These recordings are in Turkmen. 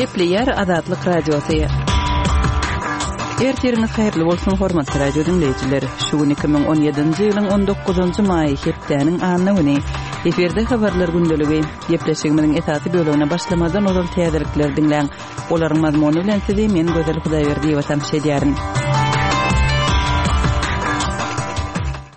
Gepleýär Azatlyk Radiosy. Ertiriňiz haýyrly bolsun, hormatly radio diňleýjiler. Şu gün 2017-nji ýylyň 19-njy maýy, hepdäniň anna güni. Efirde habarlar gündeligi. Gepleşigimiziň esasy bölegine başlamazdan ozal täzelikleri diňläň. Olaryň mazmuny bilen sizi men Gözel Hudaýberdiýewa tanyş edýärin.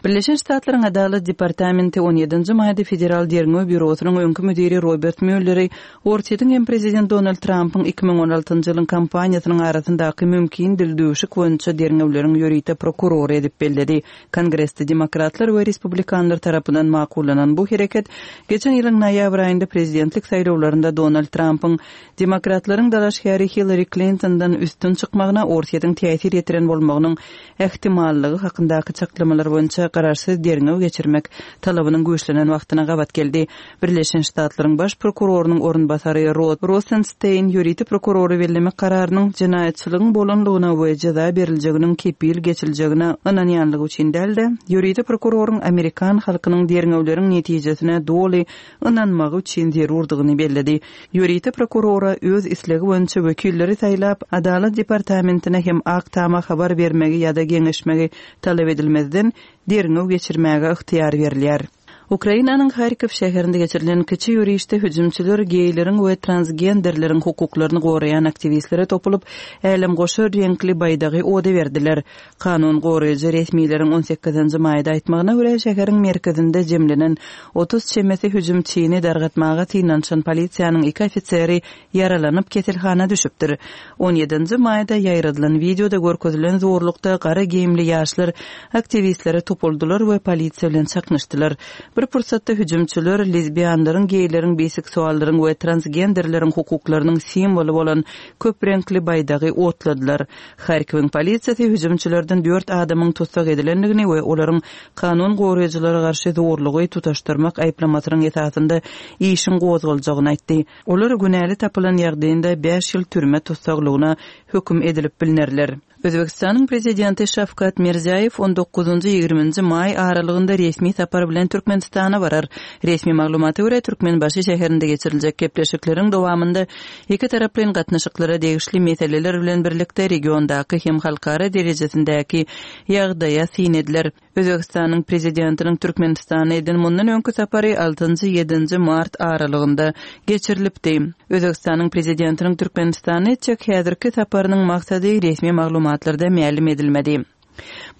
Birleşen Ştatlaryň Adalat departamenti on ýedinji maýda Federal derňew býurosynyň öňki müdiri Robert Mýulleri Orsýetiň hem prezident Donald Trampyň 2016-njy ýylyň kampaniýasynyň arasyndaky mümkin dildüwşük boýunça derňewleriň ýörite prokurory edip belledi. Kongresde demokratlar we respublikanlar tarapyndan makullanan bu hereket geçen ýylyň noýabr aýynda prezidentlik saýlawlarynda Donald Trampyň Demokratlaryň dalaşgäri Hillari Klintondan üstün çykmagyna Orsýetiň täsir ýetiren bolmagynyň ähtimallygy hakyndaky çaklamalar boýunça garaşsyz derňew geçirmek talabynyň güýçlenen wagtyna gabat geldi. Birleşen Ştatlaryň Baş prokurorynyň orunbasary Rod Rosensteýn ýörite prokurory bellemek kararynyň jenaýatçylygyň bolanlygyna we jeza beriljeginiň kepil geçiljegine ynanýanlygy üçin däl-de, ýörite prokuroryň amerikan halkynyň derňewleriň netijesine doly ynanmagy üçin zerurdygyny belledi. Ýörite prokurora öz islegi boýunça wekilleri saýlap, Adalat departamentine hem Ak Tama habar bermegi ýa-da geňeşmegi talap edilmezden, derňew geçirmäge ygtyýar berilýär. Ukrainanyň Harkow şäherinde geçirilen kiçi ýörişde hüjümçiler geýleriň we transgenderleriň hukuklaryny goraýan aktiwistlere topulyp, älemgoşar reňkli baýdagy oda berdiler. Kanun goraýjy resmileriň on sekizinji maýda aýtmagyna görä, şäheriň merkezinde jemlenen 30 çemesi hüjümçini dargatmaga synanyşan polisiýanyň iki ofiseri ýaralanyp, keselhana düşüpdir. On ýedinji maýda ýaýradylan wideoda görkezilen zorlukda gara geýimli ýaşlar aktiwistlere topuldylar we polisiýa bilen çaknyşdylar. Bir pursatda hüjümçiler lezbianlaryň, geýleriň, biseksuallaryň we transgenderleriň hukuklarynyň simwoly bolan köp reňkli baýdagy otladylar. Harkiwiň polisiýasy hüjümçilerden dört adamyň tussag edilendigini we olaryň kanun goraýjylara garşy zorlugy tutaşdyrmak aýyplamasynyň esasynda işiň gozgaljagyny aýtdy. Olar günäli tapylan ýagdaýynda bäş ýyl türme tussaglygyna höküm edilip bilnerler. Özbegistanyň Prezidenti Şawkat Mirziýaýew on dokuzynjy, ýigriminji maý aralygynda resmi sapar bilen Türkmenistana barar. Resmi maglumata görä, Türkmenbaşy şäherinde geçiriljek gepleşikleriň dowamynda Ikitaraplaýyn gatnaşyklara degişli meseleler bilen birlikde regiondaky hem halkara derejesindäki ýagdaýa syn ediler. Özbegistanyň Prezidentiniň Türkmenistana eden mundan öňki sapary altynjy, ýedinji mart aralygynda geçirilipdi. Özbegistanyň Prezidentiniň Türkmenistana etjek häzirki saparynyň maksady resmi maglumatlarda mälim edilmedi.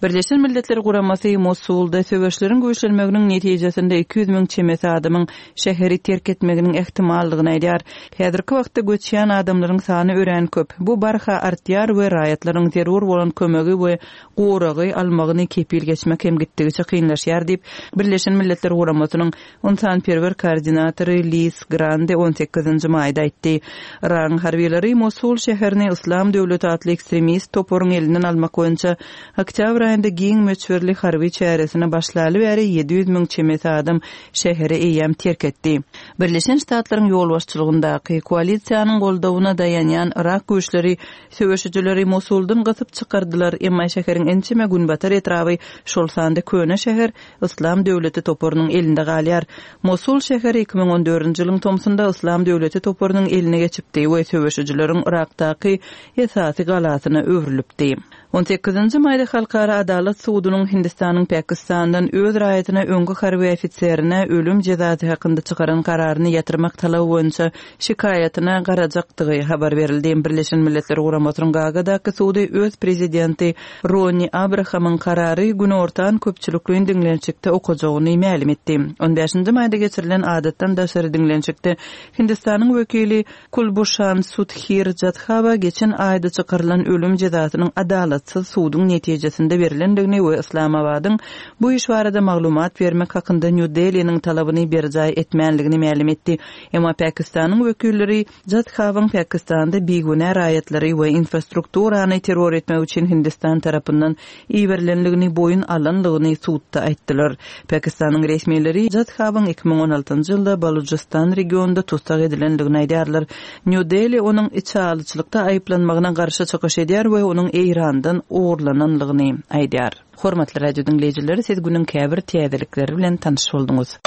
Birleşen Milletler Guramasy Mosulda söweşleriň güýçlenmeginiň netijesinde 200 müň çemesi adamyň şäheri terk etmeginiň ähtimaldygyny aýdýar. Häzirki wagtda göçýän adamlaryň sany örän köp. Bu barha artýar we raýatlaryň zerur bolan kömegi we goragy almagyny kepil geçmek hem gitdigiçe kynlaşýar diýip, Birleşen Milletler Guramasynyň Ynsanperwer koordinatory Liz Grande on sekizinji maýda aýtdy. Yragyň harbylary Mosul şäherini Yslam döwleti atly ekstremist toparyň elinden almak boýunça oktýabr aýynda giň möçberli harby çäresine başlaly bäri 700 müň çemesi adam şäheri eýýäm terk etdi. Birleşen Ştatlaryň ýolbaşçylygyndaky koalisiýanyň goldawyna daýanýan yrak güýçleri söweşijileri Mosuldan gysyp çykardylar, emma şäheriň ençeme günbatar etraby, şol sanda köne şäher, Yslam döwleti toparynyň elinde galýar. Mosul şäheri 2014-nji ýylyň tomsunda Yslam döwleti toparynyň eline geçipdi we söweşijileriň Yrakdaky esasy galasyna öwrülipdi. On sekizinji maýda Halkara adalat sudunyň Hindistanyň Pakistandan öz raýatyna öňki harby ofiserine ölüm jezasy hakynda çykaran kararyny ýatyrmak talaby boýunça şikaýatyna garajakdygy habar berildi. Birleşen Milletler Guramasynyň Gagadaky sudy öz prezidenti Ronni Abrahamyň karary günortan köpçülikleýin diňlenişikde okajagyny mälim etdi. On bäşinji maýda geçirilen adatdan daşary diňlenişikde Hindistanyň wekili Kulbuşan Sudhir Jadhawa geçen aýda çykarylan ölüm jezasynyň adalatsyz suduň netijesinde berlendigini we Yslamabadyň bu iş barada maglumat bermek hakynda Nýu-Deliniň talabyny berjaý etmänligini mälim etdi. Emma Pakistanyň wekilleri Jadhawyň Pakistanda bigünä raýatlary we infrastrukturany terror etmek üçin Hindistan tarapyndan iberilenligini boýun alanlygyny sudda aýtdylar. Pakistanyň resmileri Jadhawyň 2016-njy ýylda Balujystan regionynda tussag edilenligini aýdýarlar. Nýu-Deli onuň içalyçylykda aýyplanmagyna garşy çykyş edýär we onuň Eýrandan ogurlananlygyny aýdýar. Hormatly radio diňleýjiler, siz günüň käbir täzelikleri bilen tanyş bolduňyz.